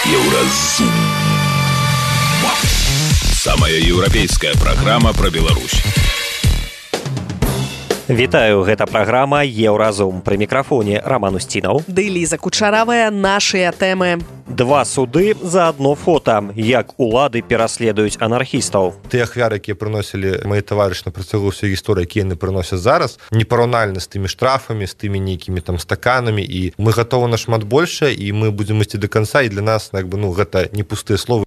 Еўразум. Самая еўрапейская праграма пра Беларусь. Вітаю, гэта праграма «Еўразум». Пры мікрафоне Роман Устінаў. Ды Ліза Кучаравая, нашыя тэмы. Два суды за одно фото. Як улады пераследуюць анархістаў. Тыя ахвяры, якія прыносілі мае таварышы на працягу ўсёй гісторыі, якія яны прыносяць зараз, непараўнальна з тымі штрафамі, з тымі нейкімі там стаканамі, і мы гатовы нашмат большае, і мы будзем ісці до канца, і для нас гэта не пустыя словы.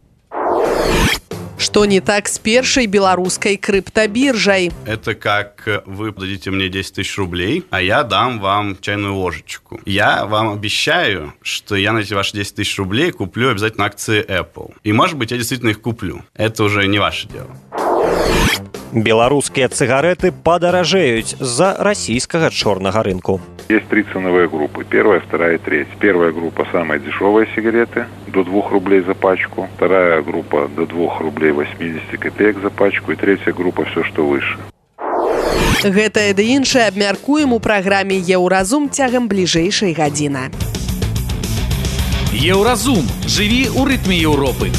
Что не так с первой белорусской криптобиржей? Это как вы дадите мне 10 тысяч рублей, а я дам вам чайную ложечку. Я вам обещаю, что я на эти ваши 10 тысяч рублей куплю обязательно акции Apple. И, может быть, я действительно их куплю. Это уже не ваше дело. Беларускія цыгареты падаражэюць з-за расійскага чорнага рынку. Есть три ценовые группы. Первая, вторая и третья. Первая группа – самые дешевые сигареты, до 2 рублей за пачку. Вторая группа – до 2 рублей 80 копеек за пачку. И третья группа – все, что выше. Гэтае ды іншае абмяркуем у праграме «Еўразум» цягам бліжэйшай гадзіны. Еўразум. Жыві ў рытме Еўропы.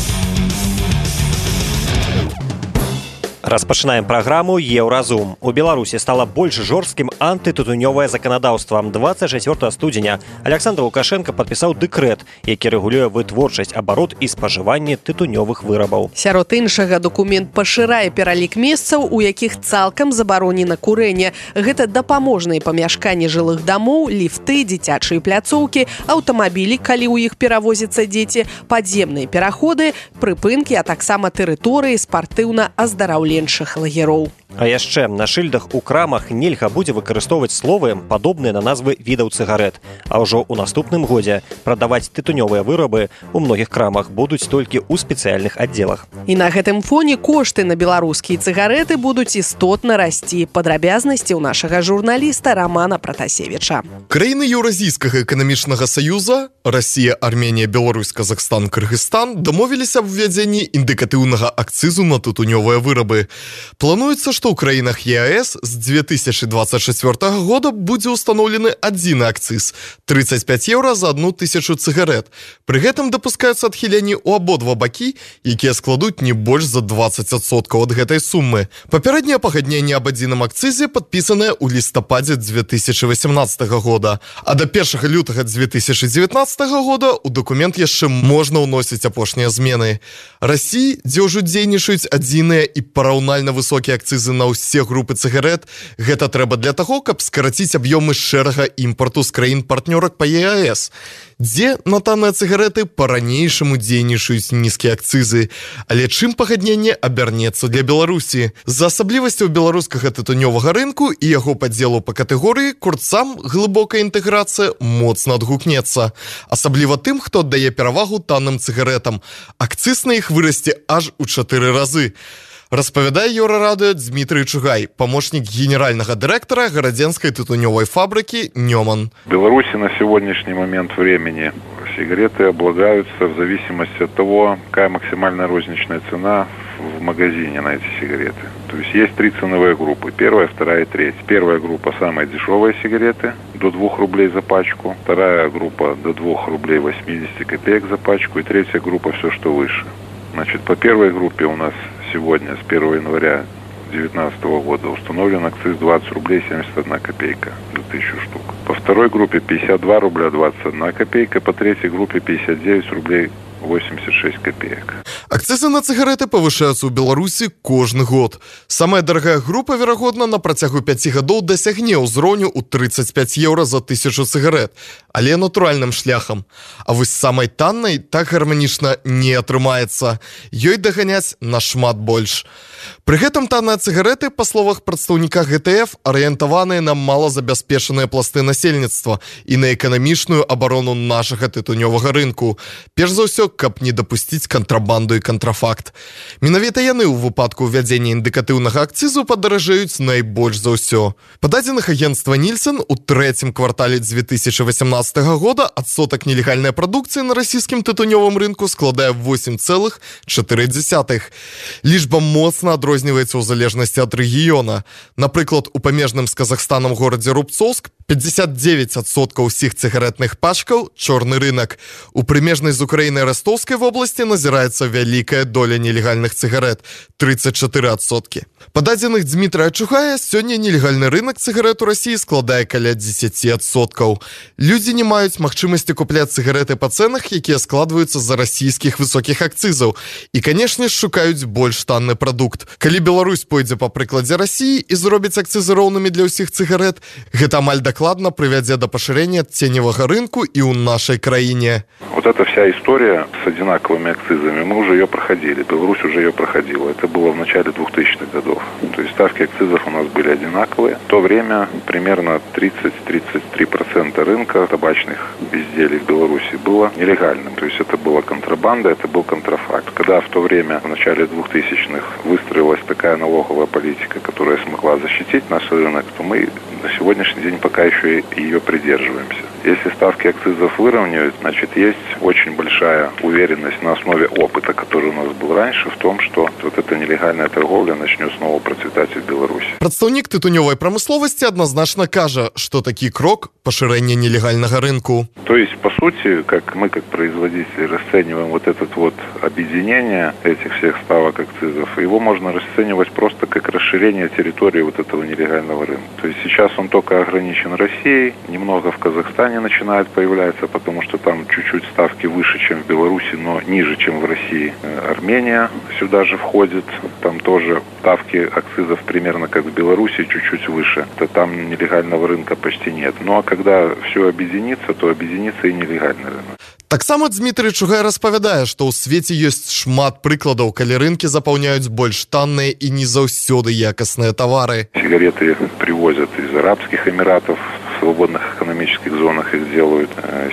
Распачынаем праграму «Еўразум». У Беларусі стала больш жорсткім антытытунёвае заканадаўства. 24 студзеня Александр Лукашенко падпісаў дэкрэт, які рэгулюе вытворчасць, абарот і спажыванне тытунёвых вырабаў. Сярод іншага, дакумент пашырае пералік месцаў, у якіх цалкам забаронена курэнне. Гэта дапаможныя памяшканні жылых дамоў, ліфты, дзіцячыя пляцоўкі, аўтамабілі, калі ў іх перавозяцца дзеці, падземныя пераходы, прыпынкі, а таксама тэрыторыі спартыўна-аздараўленчых лагероў. А яшчэ на шыльдах у крамах нельга будзе выкарыстоўваць словы, падобныя на назвы відаў цыгарет. А ўжо ў наступным годзе прадаваць тытунёвыя вырабы ў многіх крамах будуць толькі ў спецыяльных аддзелах. І на гэтым фоне кошты на беларускія цыгареты будуць істотна расці. Падрабязнасці ў нашага журналіста Романа Пратасевіча. Краіны Еўразійскага эканамічнага саюза Расія, Арменія, Беларусь, Казахстан, Кыргызстан дамовіліся аб увядзенні індыкатыўнага акцызу на тытунёвыя вырабы. Плануецца, што ў краінах ЕАЭС з 2024 года будзе ўстаноўлены адзіны акцыз – 35 еўра за 1000 цыгарет. Пры гэтым дапускаюцца адхіленні ў абодва бакі, якія складуць не больш за 20% ад гэтай сумы. Папярэдняе пагадненне аб адзіным акцызе падпісанае ў лістападзе 2018 года, а да 1 лютага 2019 года ў дакумент яшчэ можна ўносіць апошнія змены. Расіі, дзе ўжо дзейнічаюць адзіныя і параўнальна высокія акцызы на ўсе групы цыгарет, гэта трэба для таго, каб скараціць аб'ёмы шэрага імпарту з краін-партнёрак па ЕАЭС, дзе на танныя цыгареты па-ранейшаму дзейнічаюць нізкія акцызы. Але чым пагадненне абярнецца для Беларусі? З-за асаблівасцяў беларускага тытунёвага рынку і яго падзелу па катэгорыі курцам глыбокая інтэграцыя моцна адгукнецца. Асабліва тым, хто аддае перавагу танным цыгаретам. Акцыз на іх вырасце аж у 4 разы. Распавядае Еўрарадыё Дмітрый Чугай, помощник генерального директора Городенской тытунёвой фабрики «Неман». В Беларуси на сегодняшний момент времени сигареты облагаются в зависимости от того, какая максимальная розничная цена в магазине на эти сигареты. То есть три ценовые группы. Первая, вторая и третья. Первая группа – самые дешевые сигареты, до 2 рублей за пачку. Вторая группа – до 2 рублей 80 копеек за пачку. И третья группа – все, что выше. Значит, по первой группе у нас сегодня, с 1 января 2019 года, установлен акциз 20 рублей 71 копейка за 1000 штук. По второй группе 52 рубля 21 копейка, по третьей группе 59 рублей 86 копеек. Акцизы на цыгареты павышаюцца ў Беларусі кожны год. Самая дарагая група, верагодна, на працягу 5 гадоў дасягне ўзроўню ў 35 еўра за 1000 цыгарет, але натуральным шляхам. А вось самай таннай так гарманічна не атрымаецца. Ёй даганяць нашмат больш. Пры гэтым танныя цыгареты, па словах прадстаўніка ГТФ, арыентаваныя на малазабяспечаныя пласты насельніцтва і на эканамічную абарону нашага тытунёвага рынку. Перш за ўсё, каб не дапусціць кантрабанду і кантрафакт. Менавіта яны ў выпадку ўвядзення індыкатыўнага акцызу падаражэюць найбольш за ўсё. Па дадзеных агенцтва Нільсэн, у трэцім квартале 2018 года адсотак нелегальнай прадукцыі на расійскім тытунёвым рынку складае 8,4. Лічба моцна адрозніваецца ў залежнасці ад рэгіёна. Напрыклад, у памежным з Казахстанам горадзе Рубцовск 59% усіх цыгаретных пачкаў – чорны рынок. У прымежнай з Украінай Ростовскай вобласці назіраецца вялікая доля нелегальных цыгарет – 34%. Па дадзеных Дмітрая Чугая, сёння нелегальны рынок цыгарет у Расіі складае каля 10%. Людзі не маюць магчымасці купляць цыгареты па цэнах, якія складваюцца з-за расійскіх высокіх акцызаў. І, канешне, шукаюць больш танны прадукт. Калі Беларусь пойдзе па прыкладзе Расіі і зробіць акцызы роўнымі для ўсіх цыгарет, гэта амаль докладно приведет до поширения теневого рынка и у нашей краине. Вот эта вся история с одинаковыми акцизами, мы уже ее проходили, Беларусь уже ее проходила. Это было в начале 2000-х годов. То есть ставки акцизов у нас были одинаковые. В то время примерно 30-33% рынка табачных изделий в Беларуси было нелегальным. То есть это была контрабанда, это был контрафакт. Когда в то время, в начале 2000-х, выстроилась такая налоговая политика, которая смогла защитить наш рынок, то мы на сегодняшний день пока еще ее придерживаемся. Если ставки акцизов выровняют, значит, есть очень большая уверенность на основе опыта, который у нас был раньше, в том, что вот эта нелегальная торговля начнет снова процветать в Беларуси. Прадстаўнік тытунёвай прамысловасці адназначна кажа, что такі крок – пашырэнне нелегальнага рынку. То есть, по сути, как мы, как производители, расцениваем вот это вот объединение этих всех ставок акцизов, его можно расценивать просто как расширение территории вот этого нелегального рынка. То есть сейчас он только ограничен Россией, немного в Казахстане начинает появляться, потому что там чуть-чуть ставки выше, чем в Беларуси, но ниже, чем в России. Армения сюда же входит, там тоже ставки акцизов примерно как в Беларуси, чуть-чуть выше. Там нелегального рынка почти нет. Ну а когда все объединится, то объединится и нелегальный рынок. Таксама Дмітрый Чугай распавядае, што ў свеце ёсць шмат прыкладаў, калі рынкі запаўняюць больш танныя і не заўсёды якасныя тавары. Сигареты привозят из Арабских Эмиратов, в свободных экономических зонах их делают.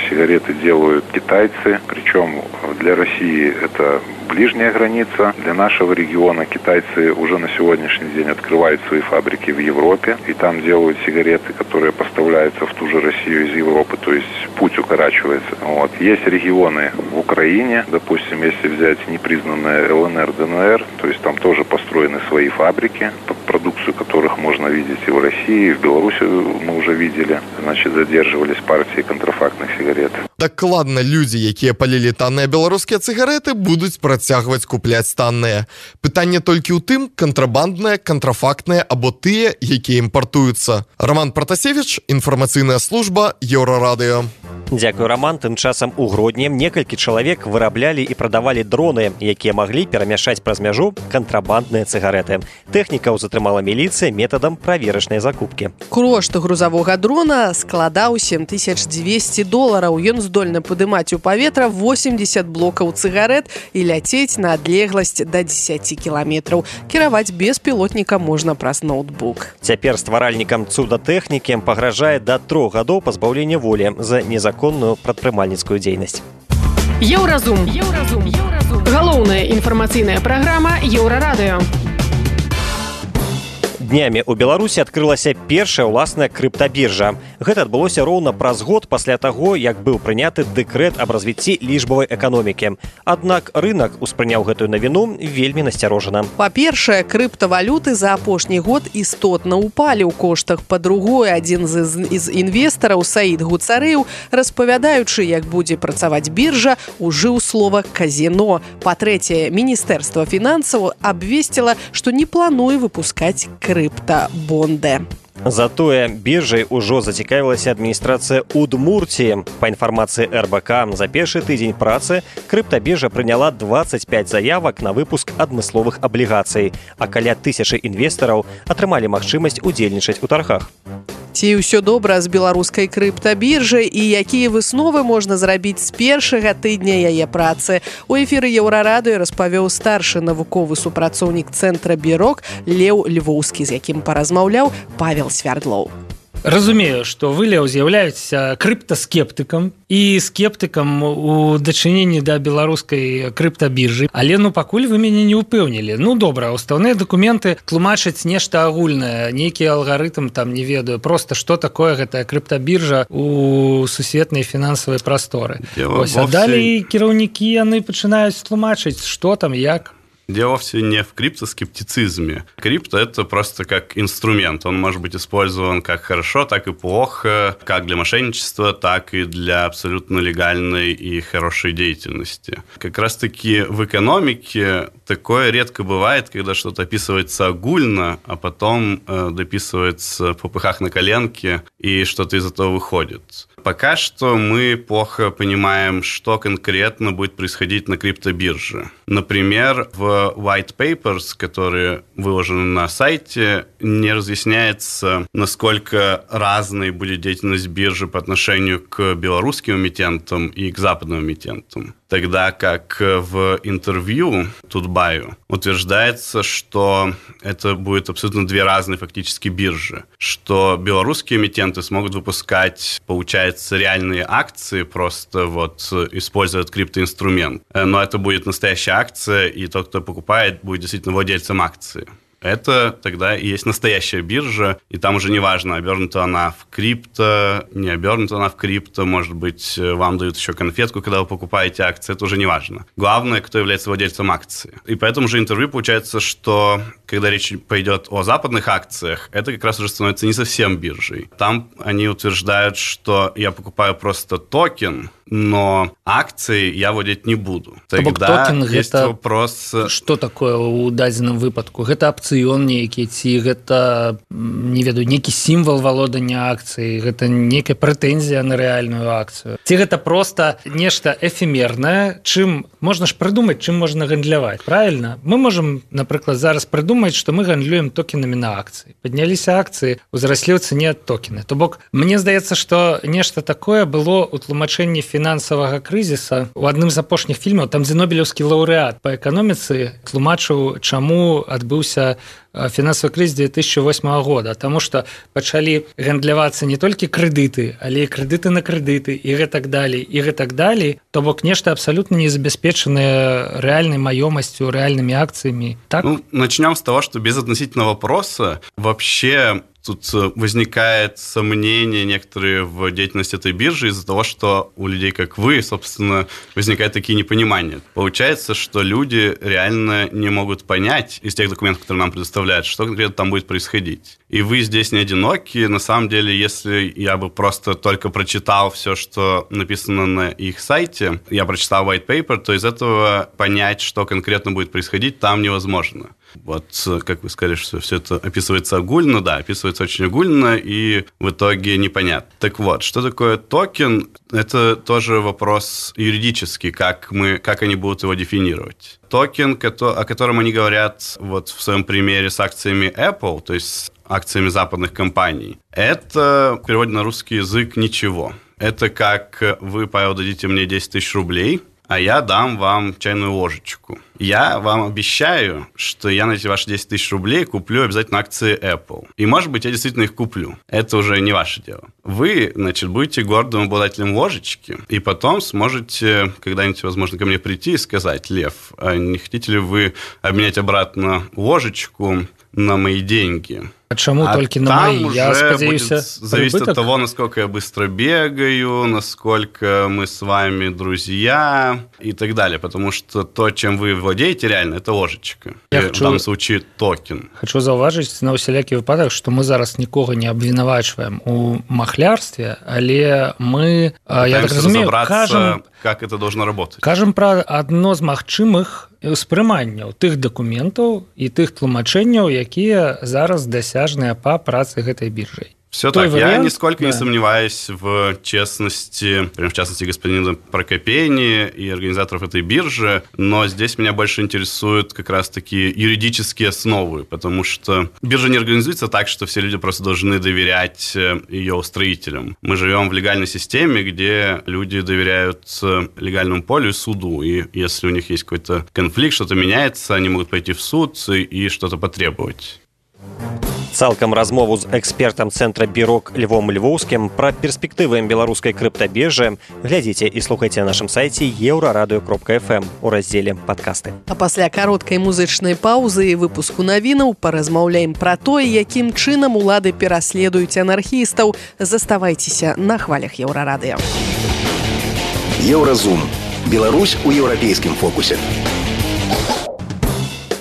Сигареты делают китайцы, причем для России это ближняя граница. Для нашего региона китайцы уже на сегодняшний день открывают свои фабрики в Европе, и там делают сигареты, которые поставляются в ту же Россию из Европы, то есть путь укорачивается. Вот. Есть регионы в Украине, допустим, если взять непризнанные ЛНР, ДНР, то есть там тоже построены свои фабрики, продукцию которых можно видеть и в России, и в Беларуси мы уже видели, значит, задерживались партии контрафактных сигарет. Дакладна, людзі, якія палілі танныя беларускія цыгареты, будуць працягваць купляць танныя. Пытанне толькі ў тым, кантрабандныя, кантрафактныя або тыя, якія імпартуюцца. Роман Пратасевіч, інфармацыйная служба Еўрарадыё. Дзякуй, Роман. Тым часам у Гродні некалькі чалавек выраблялі і прадавалі дроны, якія маглі перамяшчаць праз мяжу кантрабандныя цыгареты. Тэхнікаў затрымала міліцыя метадам праверачнай закупкі. Кошт грузавога дрона складаў $7200. Ён здольны падымаць у паветра 80 блокаў цыгарет і ляцець на адлегласць да 10 кіламетраў. Кіраваць беспілотніка можна праз ноутбук. Цяпер стваральнікам цудатэхнікі пагражае да 3 гадоў пазбаўлення волі за незаконную прадпрымальніцкую дзейнасць. Еўразум. Галоўная інфармацыйная праграма Еўрарадыё. Днямі ў Беларусі адкрылася першая ўласная крыптабіржа. Гэта адбылося роўна праз год пасля таго, як быў прыняты дэкрэт аб развіцці лічбавай эканомікі. Аднак рынак успрыняў гэтую навіну вельмі насцярожана. Па-першае, крыптавалюты за апошні год істотна ўпалі ў коштах. Па-другое, адзін з інвестараў Саід Гуцарэў, распавядаючы, як будзе працаваць біржа, ужыў слова казино. Па-трэцяе, Міністэрства фінансаў абвесціла, што не плануе выпускаць крыптабонды. Затое біржай ужо зацікавілася адміністрацыя Удмуртіі. Па інфармацыі РБК, за першы тыдзень працы крыптабіржа прыняла 25 заявак на выпуск адмысловых аблігацый, а каля 1000 інвестараў атрымалі магчымасць удзельнічаць у таргах. Ці ўсё добра з беларускай крыптабіржай і якія высновы можна зрабіць з першага тыдня яе працы? У эфіры Еўрарадыё распавёў старшы навуковы супрацоўнік цэнтра Бірок Леў Львоўскі, з якім паразмаўляў Павел Свярдлоў. Разумею, што вы, Леў, з'яўляецеся крыптаскептыкам і скептыкам у дачыненні да беларускай крыптабіржы, але пакуль вы мяне не ўпэўнілі. Добра, устаўныя дакументы тлумачаць нешта агульнае, нейкі алгарытм там не ведаю, просто што такое гэтая крыптабіржа у сусветнай фінансавай прасторы. А далей кіраўнікі яны пачынаюць тлумачыць, што там, як. Дело вовсе не в криптоскептицизме. Крипто – это просто как инструмент. Он может быть использован как хорошо, так и плохо, как для мошенничества, так и для абсолютно легальной и хорошей деятельности. Как раз-таки в экономике такое редко бывает, когда что-то описывается огульно, а потом дописывается в попыхах на коленке, и что-то из этого выходит. Пока что мы плохо понимаем, что конкретно будет происходить на криптобирже. Например, в white papers, которые выложены на сайте, не разъясняется, насколько разной будет деятельность биржи по отношению к белорусским эмитентам и к западным эмитентам. Тогда как в интервью Тутбаю утверждается, что это будет абсолютно две разные фактически биржи, что белорусские эмитенты смогут выпускать, получается, реальные акции, просто вот используя этот криптоинструмент. Но это будет настоящая акция, и тот, кто покупает, будет действительно владельцем акции. Это тогда и есть настоящая биржа, и там уже не важно, обернута она в крипто, не обернута она в крипто, может быть, вам дают еще конфетку, когда вы покупаете акции, это уже не важно. Главное, кто является владельцем акции. И поэтому же интервью получается, что когда речь пойдет о западных акциях, это как раз уже становится не совсем биржей. Там они утверждают, что я покупаю просто токен, но акции я владеть не буду. Тогда токен есть гэта... вопрос... Что такое ў дадзеным выпадку? Гэта опцион нейкі, ці гэта, не ведаю, нейкі сімвал валодання акцыі, гэта нейкая прэтэнзія на рэальную акцыю. Ці гэта просто нешта эфемернае, чым можна ж прыдумаць, чым можна гандляваць, правильно? Мы можем, напрыклад, зараз прыдумаць, што мы гандлюем токенамі на акцыі. Падняліся акцыі, узраслі ў цане токены. То бок, мне здаецца, што нешта такое было ў тлумачэнні фінансавага крызіса. У адным з апошніх фільмаў, там дзе нобелеўскі лаўрэат па эканоміцы тлумачыў, чаму адбыўся фінансавы крызіс 2008 года, таму што пачалі гандлявацца не толькі крэдыты, але і крэдыты на крэдыты і гэтак далей, і гэтак далей. То бок нешта абсалютна не забяспечанае рэальнай маёмасцю, рэальнымі акцыямі. Так? Ну, начнем с того, что без относительного вопроса вообще тут возникает сомнение некоторые в деятельности этой биржи из-за того, что у людей, как вы, собственно, возникают такие непонимания. Получается, что люди реально не могут понять из тех документов, которые нам предоставляют, что конкретно там будет происходить. И вы здесь не одиноки. На самом деле, если я бы просто только прочитал все, что написано на их сайте, я прочитал white paper, то из этого понять, что конкретно будет происходить, там невозможно. Вот, как вы сказали, что все это описывается огульно, да, описывается очень огульно, и в итоге непонятно. Так вот, что такое токен? Это тоже вопрос юридический, как они будут его дефинировать. Токен, о котором они говорят вот в своем примере с акциями Apple, то есть акциями западных компаний, это в переводе на русский язык ничего. Это как вы, Павел, дадите мне 10 тысяч рублей, а я дам вам чайную ложечку. Я вам обещаю, что я на эти ваши 10 тысяч рублей куплю обязательно акции Apple. И, может быть, я действительно их куплю. Это уже не ваше дело. Вы, значит, будете гордым обладателем ложечки, и потом сможете когда-нибудь, возможно, ко мне прийти и сказать: Лев, а не хотите ли вы обменять обратно ложечку на мои деньги? А чему только на мои? Я спадзяюся, зависит от того, насколько я быстро бегаю, насколько мы с вами друзья и так далее. Потому что то, чем вы владеете реально, это ложечка. В данном случае токен. Хочу заўважыць на усялякі выпадак, што мы зараз нікога не абвінавачваем у махлярстве, але мы, я так разумею, кажам, как это должно работать. Кажам пра адно з магчымых ўспрыманняў тых дакументаў і тых тлумачэнняў, якія зараз дасяжныя па працы гэтай биржай. Все так. Я нисколько не сомневаюсь в честности, в частности, господина Прокопени и организаторов этой биржи, но здесь меня больше интересуют как раз-таки юридические основы, потому что биржа не организуется так, что все люди просто должны доверять ее устроителям. Мы живем в легальной системе, где люди доверяют легальному полю и суду, и если у них есть какой-то конфликт, что-то меняется, они могут пойти в суд и что-то потребовать. Цалкам размову з экспертам цэнтра Бірок Львом Львоўскім пра перспектывы беларускай крыптабіржы глядзіце і слухайце на нашым сайце euradio.fm у раздзеле «Падкасты». А пасля кароткай музычнай паўзы і выпуску навінаў паразмаўляем пра тое, якім чынам улады пераследуюць анархістаў. Заставайцеся на хвалях Еўрарадыё. Еўразум. Беларусь у еўрапейскім фокусе.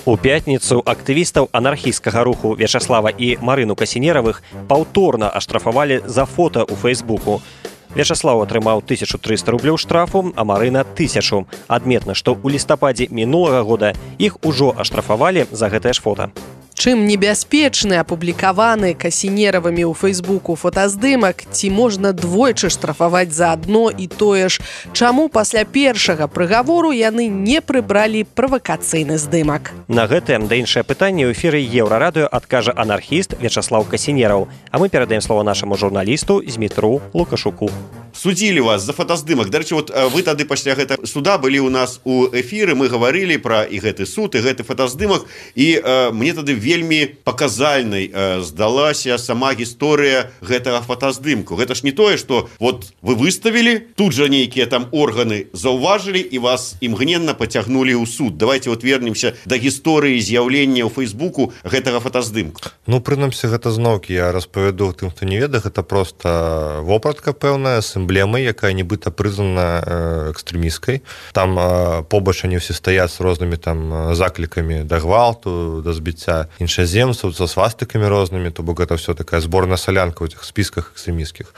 У пятніцу актывістаў анархісцкага руху Вячаслава і Марыну Касінеравых паўторна аштрафавалі за фота ў Фейсбуку. Вячаслав атрымаў 1300 рублёў штрафу, а Марына 1000. Адметна, што ў лістападзе мінулага года іх ужо аштрафавалі за гэтае ж фота. Чым небяспечны апублікаваны Касінеравымі ў Фейсбуку фотаздымак, ці можна двойчы штрафаваць за адно і тое ж? Чаму пасля першага прыгавору яны не прыбралі правакацыйны здымак? На гэтае да іншае пытанне ў эфіры Еўрарадыё адкажа анархіст Вячаслав Касінераў. А мы перадаем слово нашаму журналісту Змітру Лукашуку. Судзілі вас за фотаздымак. Дарэчы, вот вы тады пасля гэтага суда былі ў нас у эфіры, мы гаварылі пра і гэты суд, і гэты фотаздымак, і мне тады вельмі паказальнай здалася сама гісторыя гэтага фотаздымку. Гэта ж не тое, што вот вы выставілі, тут жа нейкія там органы заўважылі і вас імгненна пацягнулі ў суд. Давайте вот вернемся да гісторыі з'яўлення ў Фейсбуку гэтага фотаздымку. Ну, прынамсі, гэта зноўкі я распавяду тым, хто не ведае, гэта проста вопратка пэўная з эмблемай, якая нібыта прызнана экстрэмісткай. Там побач они ўсе стаяць з рознымі там заклікамі да гвалту, да збіцця іншаземцаў, са свастыкамі рознымі, то бок гэта ўсё такая зборная салянка ў этих спісках экстрэмісцкіх.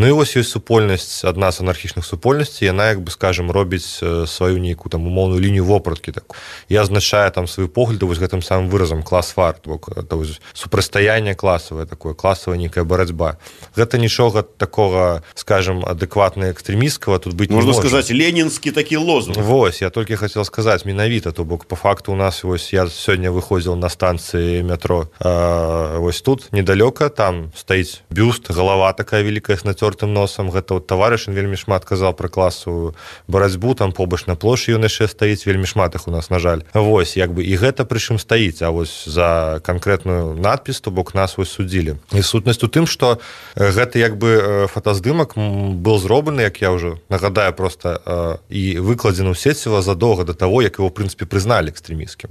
Ну і вось ёсць супольнасць, адна з анархічных супольнасцей, яна, як бы скажем, робіць сваю нейкую там умоўную лінію вопраткі такую. І азначае там сваю погляды вось гэтым самым выразам клас-вар, то бок это супрацьстаянне класавае такое, класавая нейкая барацьба. Гэта нічога такога, скажем, адэкватна экстрэмісткага тут быць не можа. Можна сказаць, ленінскі такі лозунг. Вось, я толькі хацеў сказаць менавіта, то бок по факту у нас вось я сёння выходзіў на станцыі метро, вось тут недалёка, там стаіць бюст, галава такая вялікая з нацёртым носам, гэта вот таварыш, ён вельмі шмат казаў пра класавую барацьбу, там побач на плошчы ён яшчэ стаіць, вельмі шмат іх у нас, на жаль. Вось, як бы і гэта прычым стаіць, а вось за канкрэтную надпіс, то бок нас вось судзілі. І сутнасць у тым, што гэты як бы фотаздымак был зроблены, як я ўжо нагадаю, просто і выкладзены ў сеціва задоўга да таго, як его в прынцыпе прызналі экстрэмісцкім.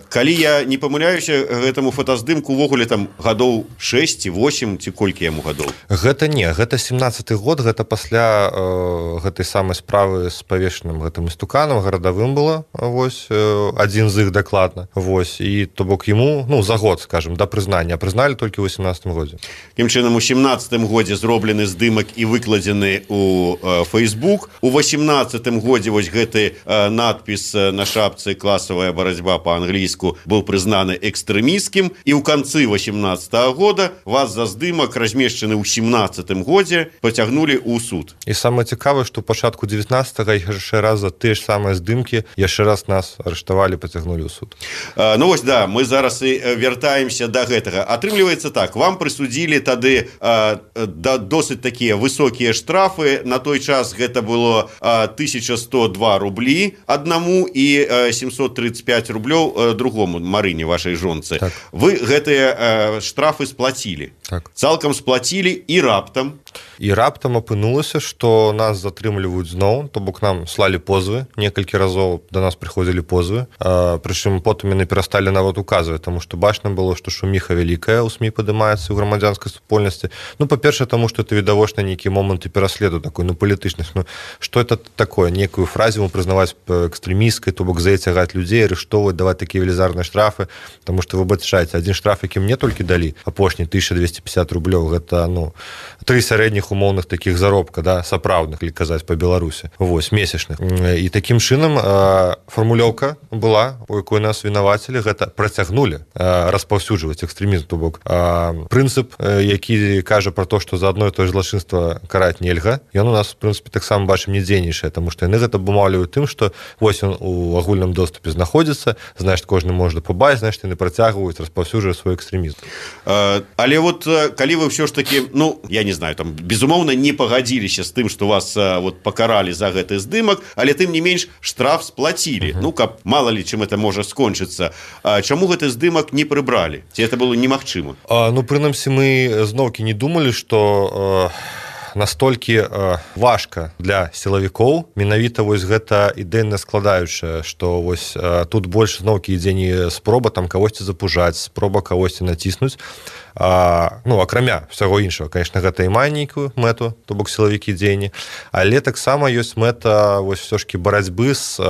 Калі я не памыляюся, гэтаму фотаздымку увогуле там гадоў 6 ці 8 ці колькі яму гадоў? Гэта не, гэта 17-й год, гэта пасля гэтай самай справы з павешаным гэтым істуканам гарадавым было, вось адзін з іх дакладна. Вось, і то бок яму, ну, за год, скажем, да прызнання, прызналі толькі ў 18-м годзе. Тым чынам у 17-м годзе зроблены здымак і выкладзены у Facebook. У 18-м годзе вось гэты надпіс на шапцы «Класавая барацьба» па-англійску быў прызнаны экстрэмісцкім, і ў канцы 18-го года вас за здымак, размешчаны ў 17-м годзе, пацягнулі ў суд. І самае цікавае, што ў пачатку 19-го яшчэ раз за тыя ж самыя здымкі яшчэ раз нас арыштавалі, пацягнулі ў суд. Ну вось, да, мы зараз і вяртаемся да гэтага. Атрымліваецца так, вам прысудзілі тады досыць такія высокія штрафы. На той час гэта было 1102 рублі аднаму і 735 рублёў другому, Марыне, вашай жонцы. Так. Вы гэтыя штрафы сплацілі. Так. Цалкам сплацілі і раптам. І раптам апынулася, што нас затрымліваюць зноў, то бок нам слалі позвы, некалькі разоў да нас прыходзілі позвы, прычым потым яны перасталі нават указваць, таму што бачна было, што шуміха вялікая ў СМІ падымаецца ў грамадзянскай супольнасці. Ну, па-першае, таму што это відавочна нейкі моманты пераследу такой, ну, палітычных. Ну, што это такое? Некую фразу прызнаваць экстрэмісткай, то бок зацягаць людзей, арыштоўваць, даваць такія велізарныя штрафы, таму што вы бачаеце, адзін штраф, які мне толькі далі, апошні 1250 рублёў, гэта, ну, 3 сярэдніх умоўных такіх заробка, да, сапраўдных, калі казаць па Беларусі, вось, месячных. І такім чынам фармулёўка была, у якой нас вінавацілі, гэта працягнулі распаўсюджваць экстрэмізм, то бок прынцып, які кажа пра то, што за адно і тое ж злачынства караць нельга, ён у нас, в прынцыпе, таксама бачым не дзейнічае, таму што яны гэта абумоўліваюць тым, што вось ён у агульным доступе знаходзіцца, значыць, кожны можа пабачыць, значыць, яны працягваюць распаўсюджваць свой экстрэмізм. Але вот калі вы ўсё ж такі, ну, я не знаю, там, безумоўна, не пагадзіліся з тым, што вас вот пакаралі за гэты здымак, але тым не менш штраф сплацілі. Ну, каб мала ли чым это можа скончыцца. Чаму гэты здымак не прыбралі? Ці это было немагчыма? Ну, прынамсі, мы зноўкі не думалі, што настолькі важка для сілавікоў менавіта вось гэта ідэйна складаючая, што вось тут больш зноўкі ідзе не спроба там кагосьці запужаць, спроба кагосьці націснуць, акрамя ўсяго іншага, конечно, гэта і мае нейкую мэту, то бок сілавікі дзеянні, але таксама ёсць мэта вось ўсё ж барацьбы з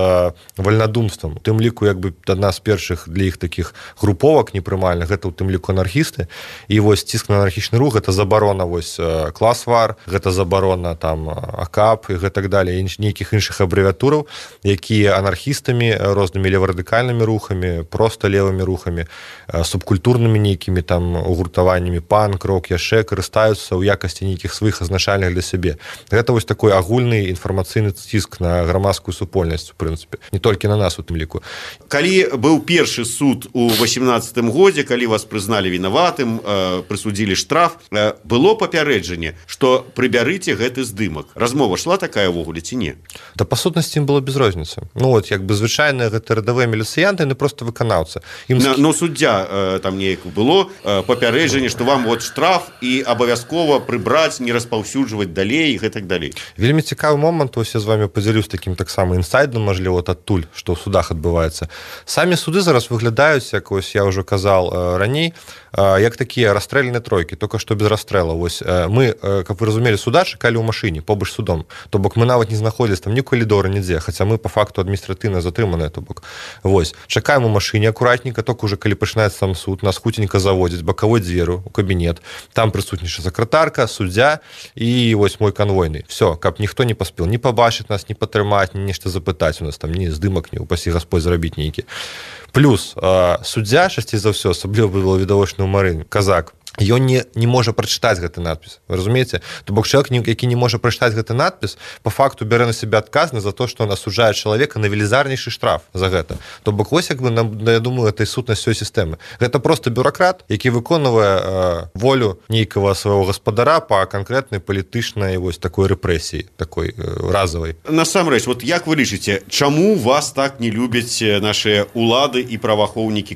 вальнадумствам. У тым ліку як бы адна з першых для іх такіх груповак непрымальных, гэта ў тым ліку анархісты, і вось ціск на анархічны рух, гэта забарона вось класвар, гэта забарона там АКАП і гэтак далее, нейкіх іншых абрэвіатураў, якія анархістамі, рознымі леварадыкальнымі рухамі, проста левымі рухамі, субкультурнымі нейкімі там гуртаваннямі панк, рок, яшчэ карыстаюцца ў якасці нейкіх сваіх азначальных для сябе. Гэта вось такой агульны інфармацыйны ціск на грамадскую супольнасць, у прынцыпе, не толькі на нас у тым ліку. Калі быў першы суд у 18 годзе, калі вас прызналі вінаватым, прысудзілі штраф, было папярэджанне, што прыбярыце гэты здымак. Размова шла такая ўвогуле ці не? Да па сутнасці ім было без розніцы. Вот як бы звычайныя гэта радавыя міліцыянты, яны просто выканаўцы. Но суддзя там неяк было папярэджанне, што вам вот штраф і абавязкова прыбраць, не распаўсюджваць далей і гэтак далей. Вельмі цікавы момант, ось я з вами падзялюсь такім таксама інсайдам, мажліва, адтуль, што ў судах адбываецца. Самі суды зараз выглядаюць, як ось я ўжо казаў раней, як такія расстрэльныя тройкі, толькі што без расстрэлаў. Вось мы, каб вы разумелі, суда чакалі ў машыне побач з судом. То бок мы нават не знаходзілись там ні калідора, нідзе, хаця мы па факту адміністратыўна затрыманыя, то бок. Вось, чакаем у машыне акуратненька, толькі ўжо калі пачынаецца сам суд, нас хуценька заводзяць бакавой дзверу ў кабінет. Там прысутнічае сакратарка, суддзя і вось мой канвойны. Всё, каб ніхто не паспеў ні пабачыць нас, ні патрымаць, ні нешта запытаць у нас там, ні здымак, ні упасі Гасподь зрабіць нейкі. Плюс суддзя, часцей за ўсё, асабліва было відавочны ў Марыны, казак, ён не можа прачытаць гэты надпіс. Вы разумееце? То бок чалавек, які не можа прачытаць гэты надпіс, па факту бярэ на сябе адказнасць за то, што он асуджае чалавека на велізарнейшы штраф за гэта. То бок вось як бы, я думаю, гэта і сутнасць усёй сістэмы. Гэта просто бюракрат, які выконвае волю нейкага свайго гаспадара па канкрэтнай палітычнай вось такой рэпрэсіі, такой разавай. Насамрэч, вот як вы лічыце, чаму вас так не любяць нашыя улады і праваахоўнікі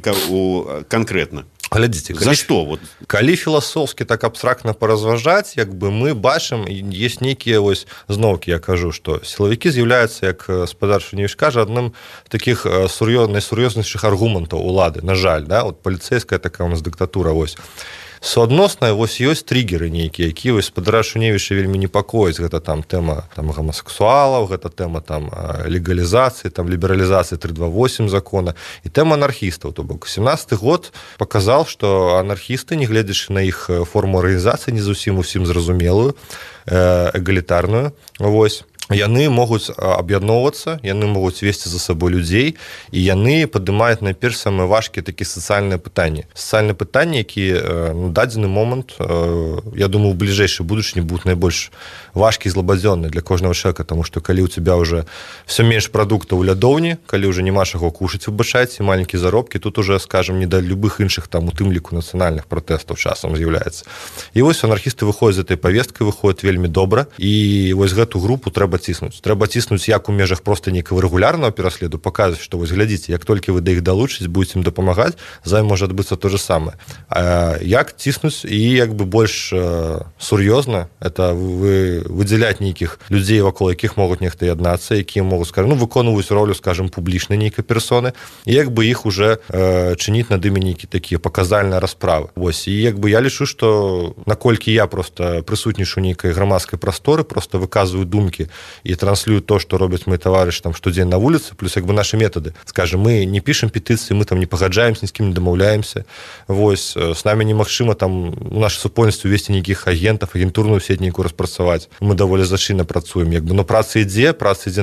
канкрэтна? Глядзіце, за што? Вот. Калі філасофскі так абстрактна паразважаць, як бы мы бачым, ёсць нейкія вось зноўкі, я кажу, што сілавікі з'яўляюцца, як гаспадар Шуневіч кажа, адным з такіх найсур'ёзнейшых аргументаў улады, на жаль, да? Вот паліцэйская такая у нас дыктатура, вось. Суадносна, вось ёсць триггеры нейкія, якія вось гаспадара Шуневіча вельмі непакояць. Гэта там тэма там гомасексуалаў, гэта тэма там легалізацыі, там лібералізацыі 328 закона і тэма анархістаў. То бок 17 год паказаў, што анархісты, не гледзячы на іх форму арганізацыі, не зусім усім зразумелую, эгалітарную, вось, яны могуць аб'ядноўвацца, яны могуць весці за сабой людзей, і яны падымаюць найперш самыя важкія такія сацыяльныя пытанні. Сацыяльныя пытанні, якія на дадзены момант, я думаю, у бліжэйшай будучыні будуць найбольш важкія і злабадзённыя для кожнага чалавека, таму што калі ў цябе ўжо все менш прадуктаў у лядоўні, калі ўжо няма чаго кушаць, выбачайце, маленькія заробкі, тут уже, скажем, не да любых іншых там у тым ліку нацыянальных пратэстаў часам з'яўляецца. І вось анархісты выходзяць з этой павесткай, выходзяць вельмі добра, і вось гэту групу трэба ціснуць. Трэба ціснуць як у межах проста нейкага рэгулярнага пераследу, паказваць, што вось глядзіце, як толькі вы да іх далучыць, будзеце ім дапамагаць, за ім можа адбыцца то же самае. Як ціснуць і як бы больш сур'ёзна, это выдзяляць нейкіх людзей, вакол якіх могуць нехта яднацца, якія могуць, скажем, выконваюць ролю, скажем, публічнай нейкай персоны, і як бы іх уже чыніць над імі нейкі такія паказальныя расправы. Вось, і як бы я лічу, што наколькі я просто прысутнічаю нейкай грамадскай прасторы, просто выказваю думкі і транслюю то, што робяць мои таварышы там штодзень на вуліцы, плюс як бы нашы метады. Скажем, мы не пішам петыцыі, мы там не пагаджаемся, ні з кім не дамаўляемся. Вось, з намі немагчыма там у нашай супольнасці увесці нейкіх агентаў, агентурную сеть нейкую распрацаваць. Мы даволі зачынна працуем, як бы, но праца ідзе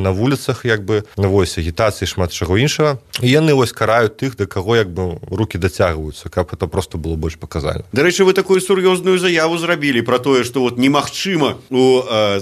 на вуліцах, як бы, вось, агітацыі, шмат чаго іншага. І яны вось караюць тых, да каго як бы рукі дацягваюцца, каб это просто было больш паказальна. Дарэчы, вы такую сур'ёзную заяву зрабілі пра тое, што вот немагчыма у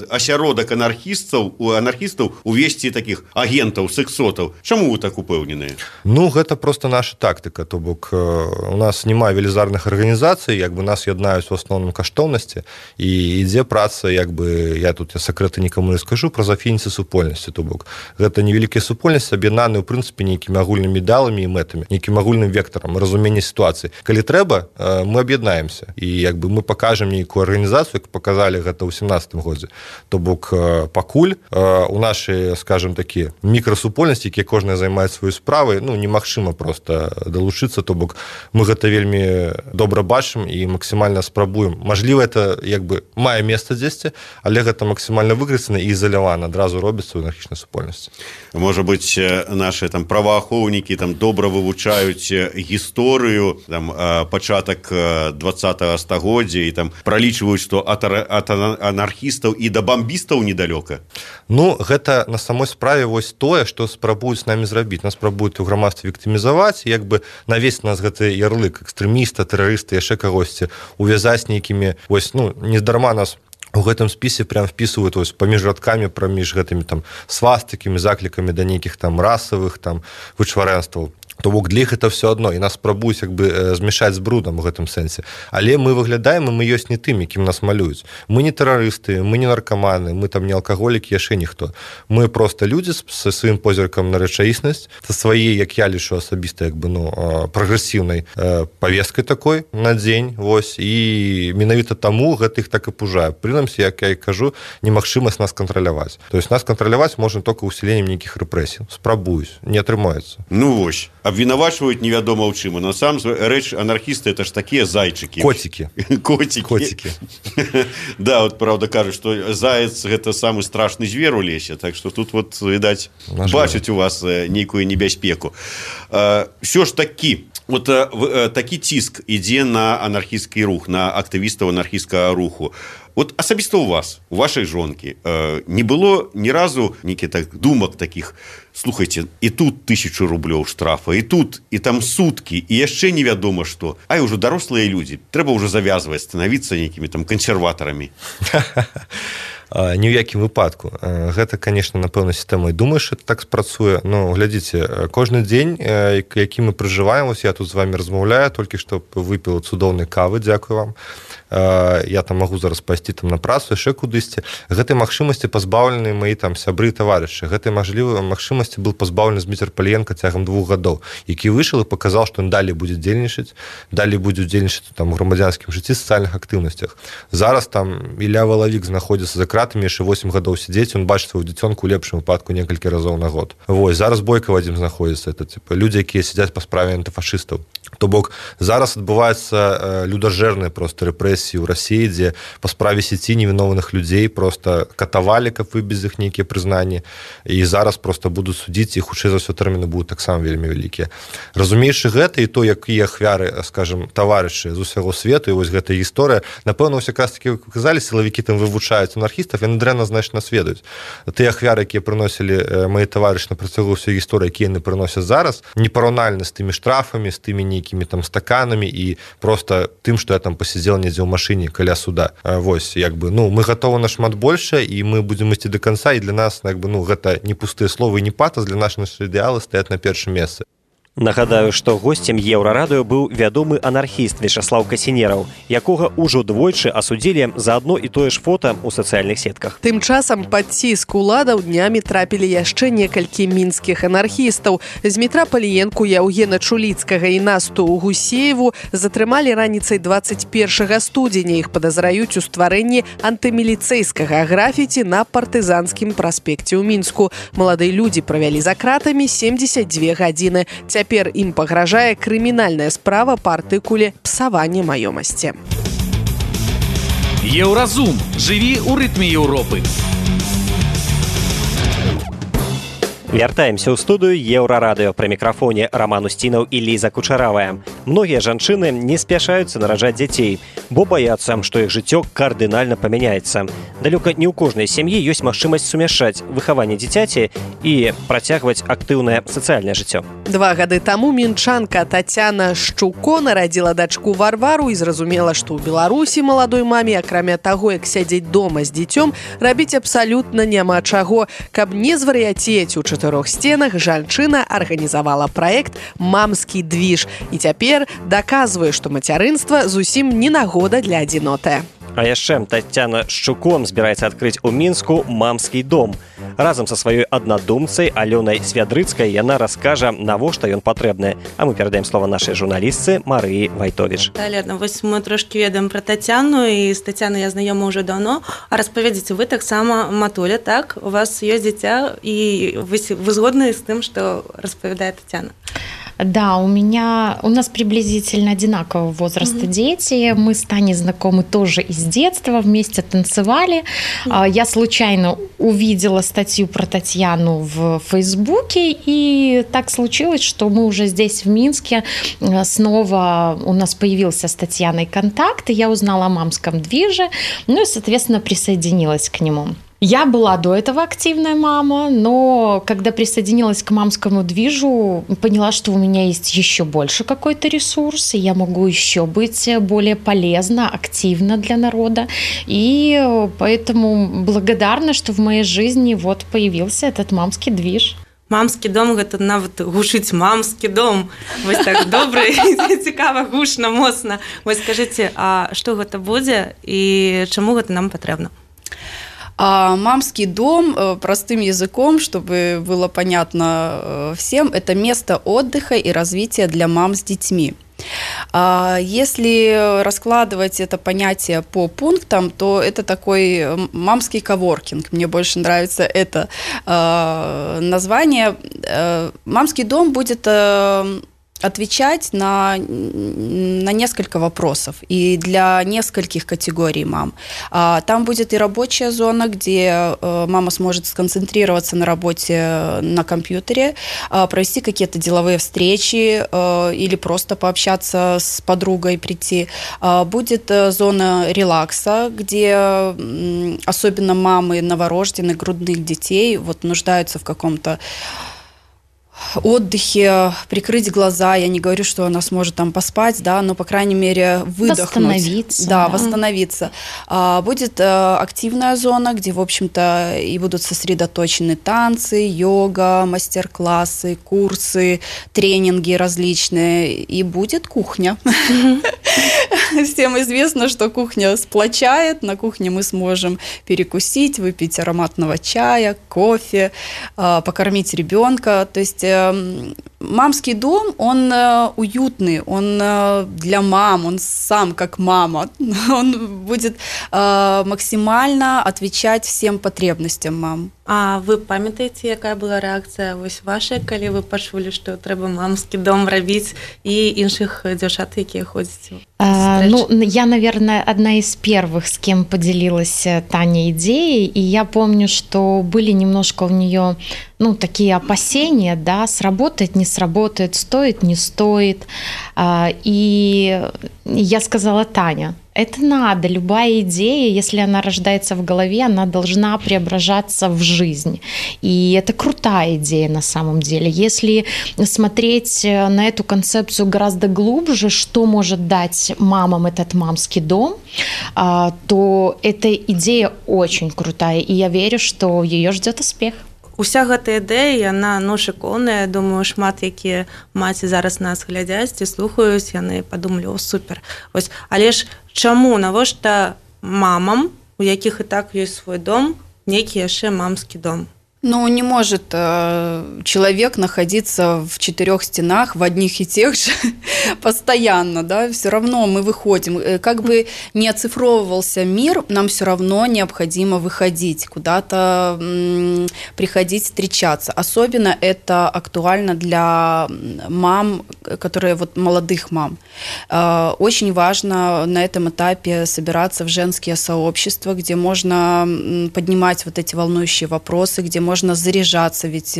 асяродак анархістаў анархістаў увесці такіх агентаў, сексотаў. Чаму вы так упэўненыя? Ну, гэта просто наша тактыка. То бок, у нас няма велізарных арганізацый, як бы нас яднаюць у асноўным каштоўнасці, і ідзе праца, як бы, я сакрэты нікому не скажу, праз афініцы супольнасці. То бок, гэта невялікія супольнасці, аб'яднаныя, ў прынцыпе, нейкімі агульнымі ідэаламі і мэтамі, нейкім агульным вектарам, разуменне сітуацыі. Калі трэба, мы аб'яднаемся, і як бы мы пакажам нейкую арганізацыю, як паказалі гэта ў 17-м годзе. То бок, пакуль у нашай, скажем такі, мікрасупольнасці, якія кожная займае сваю справу, ну, немагчыма проста далучыцца, то бок мы гэта вельмі добра бачым і максімальна спрабуем. Мажліва, это як бы мае месца дзесьці, але гэта максімальна выкрыцана і изалявана, адразу робіцца ў анархічнай супольнасці. Можа быць, наши там праваахоўнікі там добра вывучаюць гісторыю, там пачатак 20-го стагоддзя і там пралічваюць, што ад анархістаў і да бамбістаў недалёка. Ну, гэта на самой справе вось тое, што спрабуюць з намі зрабіць. Нас спрабуюць у грамадстве віктымізаваць, як бы навесці нас гэты ярлык экстрэміста, тэрарыста, яшчэ кагосьці, увязаць нейкімі, вось, ну, нездарма нас у гэтым спісе прям впісваюць вось паміж радкамі, праміж гэтымі там свастыкамі, заклікамі да нейкіх там расавых там вычварэнстваў. То бок для іх это все адно, і нас спрабуюць як бы змешаць з брудам у гэтым сэнсе. Але мы выглядаем, і мы ёсць не тымі, кім нас малююць. Мы не тэрарысты, мы не наркаманы, мы там не алкаголікі, яшчэ ніхто. Мы проста людзі са сваім позіркам на рэчаіснасць, са сваей, як я лічу асабіста, як бы, ну, прагрэсіўнай павесткай такой на дзень, вось, і менавіта таму гэта іх так і пужае. Прынамсі, як я і кажу, немагчымасць нас кантраляваць. То есть нас кантраляваць можна толькі ўсіленнем нейкіх рэпрэсій. Спрабуюсь, не атрымаецца. Ну вось. Абвінавачваюць невядома ў чым. На сам рэч анархісты это ж такія зайчыкі. Коцікі. Коцікі. Да, вот правда кажуць, што заяц гэта самы страшны звер у лесе, так што тут вот, відаць, бачыць у вас нейкую небяспеку. Всё ж такі, вот такі ціск ідзе на анархісцкі рух, на актывістаў анархісцкага руху. Вот асабіста у вас, у вашай жонкі, не было ні разу нейкіх так думак такіх: слухайце, і тут 1000 рублёў штрафа, і тут, і там суткі, і яшчэ невядома што. Ай, ужо дарослыя людзі, трэба ўжо завязваць, станавіцца нейкімі там кансерватарамі. Ні ў якім выпадку. Гэта, конечно, напэўна, сістэма і думаеш, это так спрацуе. Ну, глядзіце, кожны дзень, які мы пражываем, вось я тут з вами размаўляю, толькі што выпіў цудоўнай кавы, дзякую вам. Я там магу зараз пайсці там на працу, яшчэ кудысьці. Гэтай магчымасці пазбаўлены мои там сябры і таварышы. Гэтай магчымасці быў пазбаўлены Зміцер Паліенка цягам 2 гадоў, які выйшаў і паказаў, што ён далей будзе дзейнічаць, далей будзе дзейнічаць там у грамадзянскім жыцці, сацыяльных актыўнасцях. Зараз там Ілля Валавік знаходзіцца за кратамі, яшчэ 8 гадоў сядзець, ён бачыць сваю дзіцёнку ў лепшым выпадку некалькі разоў на год. Вось, зараз Бойка Вадзім знаходзіцца, это типа людзі, якія сядзяць па справе антыфашыстаў. То бок зараз адбываецца людажэрныя проста рэпрэсіі ў Расіі, дзе па справе сеці невіновных людзей проста катавалі, каб выбіць іх нейкія прызнанні, і зараз проста будуць судзіць, і хутчэй за ўсё тэрміны будуць таксама вельмі вялікія. Разумеючы гэта і то, якія ахвяры, скажем, таварышы з усяго свету, і вось гэтая гісторыя, напэўна, ўсе якраз такі казалі, сілавікі там вывучаюць анархістаў, яны дрэнна, значна нас ведаюць. Тыя ахвяры, якія прыносілі мои таварышы на працягу ўсёй гісторыі, якія яны прыносяць зараз, непараўнальна з тымі штрафамі, з тымі нейкімі там стаканамі і проста тым, што я там пасядзел недзе ў машыне каля суда. Вось, як бы, ну, мы гатовы на шмат большае, і мы будзем ісці да канца, і для нас, як бы, ну, гэта не пустыя словы і не патас, для нашых ідэалы стаяць на першым месцы. Нагадаю, што госцем Еўрарадыё быў вядомы анархіст Вячаслаў Касінераў, якога ўжо двойчы асудзілі за адно і тое ж фота ў сацыяльных сетках. Тым часам пад ціск уладаў днямі трапілі яшчэ некалькі мінскіх анархістаў. Змітра Паліенку, Яўгена Чуліцкага і Насту Гусееву затрымалі раніцай 21 студзеня. Іх падазраюць у стварэнні антыміліцэйскага графіці на партызанскім праспекце ў Мінску. Маладыя людзі правялі за кратамі 72 гадзіны. Цяпер ім пагражае крымінальная справа па артыкуле «Псаванне маёмасці». Еўразум. Жыві ў рытме Еўропы. Вяртаемся ў студыю Еўрарадыё. Пры мікрафоне Роман Устінаў і Ліза Кучаравая. Многія жанчыны не спяшаюцца нараджаць дзяцей, бо баяцца, што іх жыццё кардынальна памяняецца. Далёка не ў кожнай сям'і ёсць магчымасць сумяшчаць выхаванне дзіцяці і працягваць актыўнае сацыяльнае жыццё. 2 гады таму мінчанка Тацяна Шчуко нарадзіла дачку Варвару і зразумела, што ў Беларусі маладой маме, акрамя таго, як сядзець дома з дзіцём, рабіць абсалютна няма чаго. Каб не звар'яцець у 4 сценах, жанчына арганізавала праект «Мамскі двіж» і цяпер даказвае, што мацярынства зусім не нагода для адзіноты. А яшчэ Тацяна Шчуком збіраецца адкрыць у Мінску мамскі дом. Разам са сваёй аднадумцай Алёнай Свядрыцкай яна раскажа, навошта ён патрэбны. А мы перадаем слова нашай журналістцы Марыі Вайтовіч. Лена, вось мы трошки ведаем пра Тацяну, і з Тацянай я знаёма ўжо даўно. А распавядзіце, вы таксама матуля, так? У вас ёсць дзіця, і вы згодны з тым, што распавядае Тацяна? Да, у нас приблизительно одинакового возраста дети. Мы с Таней знакомы тоже из детства, вместе танцевали. Я случайно увидела статью про Татьяну в Фейсбуке, и так случилось, что мы уже здесь, в Минске, снова у нас появился с Татьяной контакт, и я узнала о мамском движе, ну и, соответственно, присоединилась к нему. Я была до этого активная мама, но когда присоединилась к мамскому движу, поняла, что у меня есть еще больше какой-то ресурс, и я могу еще быть более полезна, активна для народа. И поэтому благодарна, что в моей жизни вот появился этот мамский движ. Мамскі дом, гэта нават гучыць мамскі дом. Вось так добра, цікава, гучна, моцна. Вось скажыце, а што гэта будзе і чаму гэта нам патрэбна? Мамский дом, простым языком, чтобы было понятно всем, это место отдыха и развития для мам с детьми. Если раскладывать это понятие по пунктам, то это такой мамский коворкинг. Мне больше нравится это название. Мамский дом будет отвечать на несколько вопросов и для нескольких категорий мам. Там будет и рабочая зона, где мама сможет сконцентрироваться на работе на компьютере, провести какие-то деловые встречи или просто пообщаться с подругой, прийти. Будет зона релакса, где особенно мамы новорожденных, грудных детей вот нуждаются в каком-то отдыхе, прикрыть глаза. Я не говорю, что она сможет там поспать, да, но, по крайней мере, выдохнуть. Восстановиться. Да, восстановиться. Будет активная зона, где, в общем-то, и будут сосредоточены танцы, йога, мастер-классы, курсы, тренинги различные. И будет кухня. Всем известно, что кухня сплочает. На кухне мы сможем перекусить, выпить ароматного чая, кофе, покормить ребенка. То есть мамский дом, он уютный, он для мам, он сам как мама. Он будет максимально отвечать всем потребностям мам. А вы памятаеце, якая была рэакцыя вось ваша, калі вы пачулі, што трэба мамскі дом рабіць і іншых дзяўчат, якія ходзяць? Ну, я, наверное, одна из первых, с кем поделилась Таня идеей, и я помню, что были немножко у нее, ну, такие опасения, да, сработает, не сработает, стоит, не стоит. И я сказала: Таня, это надо, любая идея, если она рождается в голове, она должна преображаться в жизнь. И это крутая идея на самом деле. Если смотреть на эту концепцию гораздо глубже, что может дать мамам этот мамский дом, то эта идея очень крутая, и я верю, что ее ждет успех. Уся гэта ідэя, яна шыкоўная. Думаю, шмат якія маці зараз нас глядзяць і слухаюць, яны падумалі: о, супер. Вось, але ж чаму, навошта мамам, у якіх і так ёсць свой дом, нейкі яшчэ мамскі дом? Ну, не может человек находиться в 4 стенах в одних и тех же постоянно, да, все равно мы выходим. Как бы не оцифровывался мир, нам все равно необходимо выходить, куда-то приходить, встречаться. Особенно это актуально для мам, которые вот молодых мам. Очень важно на этом этапе собираться в женские сообщества, где можно поднимать вот эти волнующие вопросы, где можно заряжаться, ведь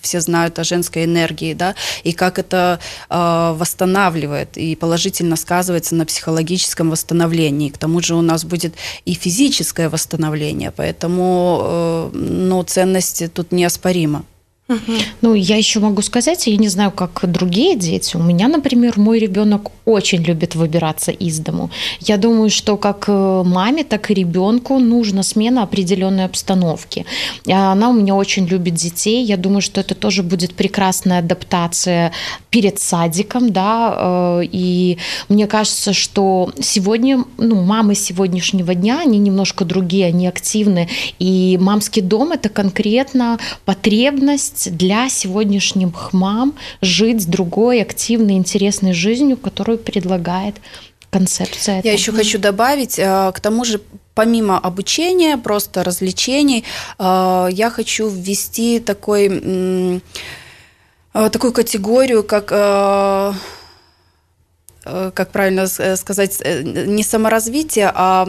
все знают о женской энергии, да, и как это восстанавливает и положительно сказывается на психологическом восстановлении. К тому же у нас будет и физическое восстановление, поэтому ценность тут неоспорима. Ну, я еще могу сказать, я не знаю, как другие дети. У меня, например, мой ребенок очень любит выбираться из дому. Я думаю, что как маме, так и ребенку нужна смена определенной обстановки. Она у меня очень любит детей. Я думаю, что это тоже будет прекрасная адаптация перед садиком, да. И мне кажется, что сегодня, мамы сегодняшнего дня, они немножко другие, они активны. И мамский дом – это конкретно потребность для сегодняшних мам жить другой, активной, интересной жизнью, которую предлагает концепция. Я еще хочу добавить, к тому же, помимо обучения, просто развлечений, я хочу ввести такую категорию, как правильно сказать, не саморазвитие, а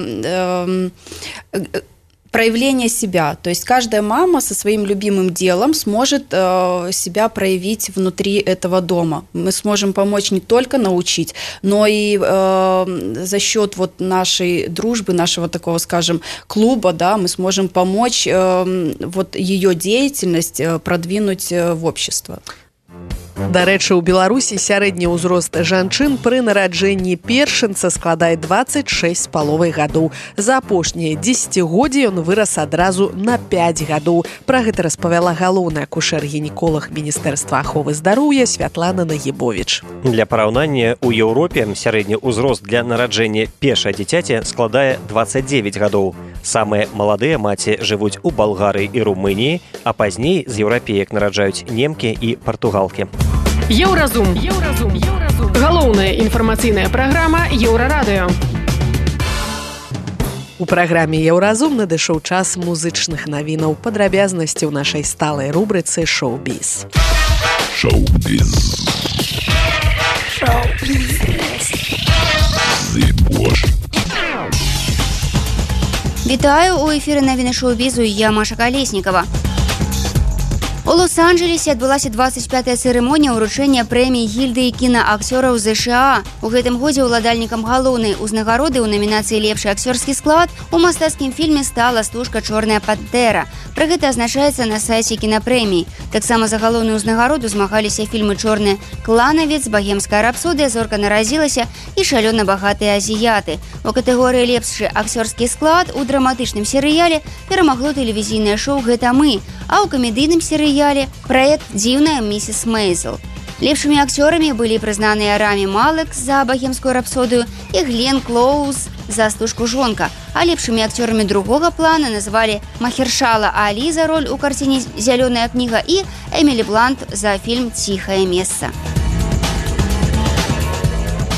проявление себя. То есть каждая мама со своим любимым делом сможет себя проявить внутри этого дома. Мы сможем помочь не только научить, но и за счет вот нашей дружбы, нашего такого, скажем, клуба, да, мы сможем помочь вот ее деятельность продвинуть в общество. Дарэчы, у Беларусі сярэдні ўзрост жанчын пры нараджэнні першынца складае 26,5 гадоў. За апошнія 10годдзі ён вырас адразу на 5 гадоў. Пра гэта распавяла галоўны акушэр-гінеколог Міністэрства аховы здароўя Святлана Нагібовіч. Для параўнання, у Еўропе сярэдні ўзрост для нараджэння першай дзіцяці складае 29 гадоў. Самыя маладыя маці жывуць у Балгарыі і Румыніі, а пазней з еўрапеек нараджаюць немкі і партугалкі. Еўразум. Галоўная інфармацыйная праграма Еўрарадыё. У праграме «Еўразум» надышоў час музычных навінаў. Падрабязнасці ў нашай сталай рубрыцы «Шоу-біз». Вітаю, у эфіры навіны шоу-бізу, я Маша Калеснікава. У Лос-Анджелесе адбылася 25-я цырымонія ўручэння прэміі гільдыі кінаакцёраў ЗША. У гэтым годзе ўладальнікам галоўнай узнагароды ў намінацыі «Лепшы акцёрскі склад» у мастацкім фільме стала стужка «Чорная пантэра». Пра гэта азначаецца на сайце кінапрэміі. Таксама за галоўную ўзнагароду змагаліся фільмы «Чорны кланавец», «Багемская рапсодыя», «Зорка нарадзілася» і «Шалёна багатыя азіяты». У катэгорыі «Лепшы акцёрскі склад» у драматычным серыяле перамагло тэлевізійнае шоу «Гэта мы», а ў камедыйным серыяле праект «Дзіўная місіс Мейзел». Лепшымі акцёрамі былі прызнаныя Рами Малек за «Багемскую рапсодыю» і Глен Клоуз за стужку «Жонка», а лепшымі акцёрамі другога плана назвалі Махершала Алі за роль у карціне «Зялёная кніга» і Эмілі Блант за фільм «Ціхае месца».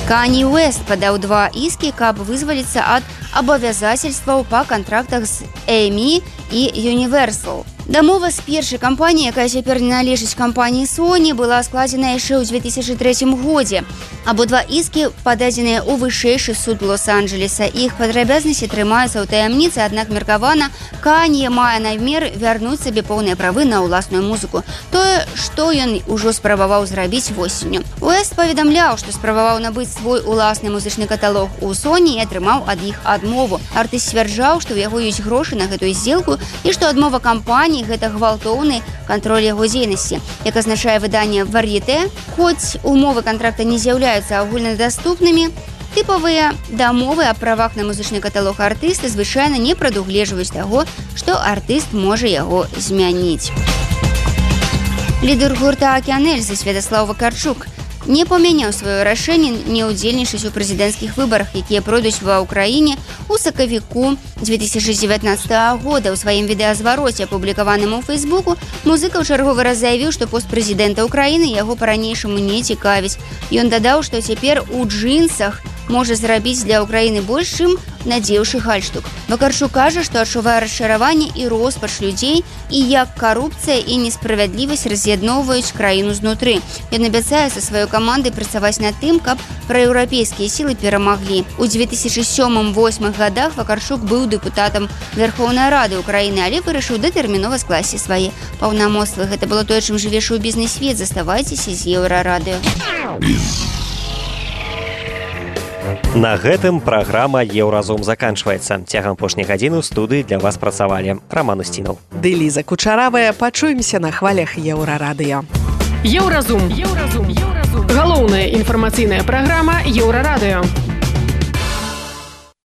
Канье Уэст падаў 2 іскі, каб вызваліцца ад абавязательстваў па кантрактах з EMI і Universal. Дамова з першай кампаніяй, якая цяпер належыць кампаніі Sony, была складзена яшчэ ў 2003 годзе. Абодва іскі пададзеныя ў вышэйшы суд Лос-Анджелеса. Іх падрабязнасці трымаюцца ў таямніцы, аднак меркавана, Канье мае намер вярнуць сабе поўныя правы на ўласную музыку. Тое, што ён ужо спрабаваў зрабіць восенню. Уэст паведамляў, што спрабаваў набыць свой уласны музычны каталог у Sony і атрымаў ад іх адмову. Артыст сцвярджаў, што ў яго ёсць грошы на гэтую здзелку і што адмова кампаніі гэта гвалтоўны кантроль яго дзейнасці. Як азначае выданне «Вар'етэ», хоць умовы кантракта не з'яўляюцца агульнадаступнымі, тыпавыя дамовы аб правах на музычны каталог артыста звычайна не прадугледжваюць таго, што артыст можа яго змяніць. Лідар гурта «Океан Эльзы» Святаслав Вакарчук не памяняў сваё рашэнне не ўдзельнічаць у прэзідэнцкіх выбарах, якія пройдуць ва ўкраіне ў сакавіку 2019 года. У сваім відэазвароце, апублікаваным у Фейсбуку, музыка ў чарговы раз заявіў, што пост прэзідэнта ўкраіны яго па-ранейшаму не цікавіць. Ён дадаў, што цяпер у джинсах можа зрабіць для ўкраіны больш, чым надзеўшы гальштук. Вакарчук кажа, што адчувае расчараванне і роспач людзей і як карупцыя і несправядлівасць раз'ядноўваюць краіну знутры. Ён абяцае са сваёй камандай працаваць над тым, каб праеўрапейскія сілы перамаглі. У 2007-2008 годах Вакарчук быў дэпутатам Верховнай Рады Украіны, але вырашыў датэрмінова скласці свае паўнамоцтвы. Гэта было тое, чым жыве шоу-бізнес-свет. Заставайцеся з Еўрарадыё. На гэтым праграма «Еўразум» заканчваецца. Цягам апошняй гадзіны ў студыі для вас працавалі Роман Устінаў. Ды Ліза Кучаравая. Пачуемся на хвалях Еўрарадыё. Еўразум. Галоўная інфармацыйная праграма Еўрарадыё.